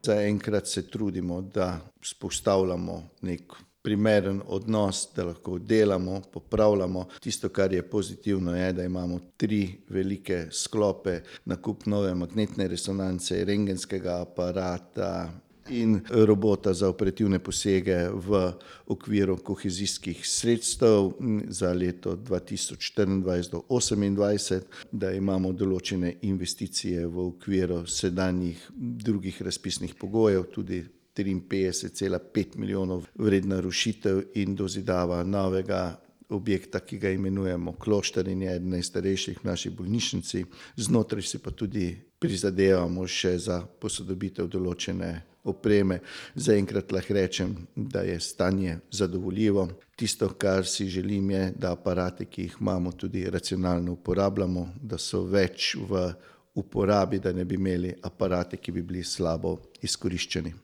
Zaenkrat se trudimo, da vzpostavljamo nek primeren odnos, da lahko delamo, popravljamo. Tisto, kar je pozitivno, je, da imamo 3 velike sklope: nakup nove magnetne resonance, rentgenskega aparata in robota za operativne posege v okviru kohezijskih sredstev za leto 2024 do 2028, da imamo določene investicije v okviru sedanjih drugih razpisnih pogojev, tudi 53,5 milijonov vredna rušitev in dozidava novega objekta, ki ga imenujemo Kloštar in je eden najstarejših v naši bolnišnici. Znotraj si pa tudi prizadevamo še za posodobitev določene opreme. Zaenkrat lahko rečem, da je stanje zadovoljivo. Tisto, kar si želim, je, da aparate, ki jih imamo, tudi racionalno uporabljamo, da so več v uporabi, da ne bi imeli aparate, ki bi bili slabo izkoriščeni.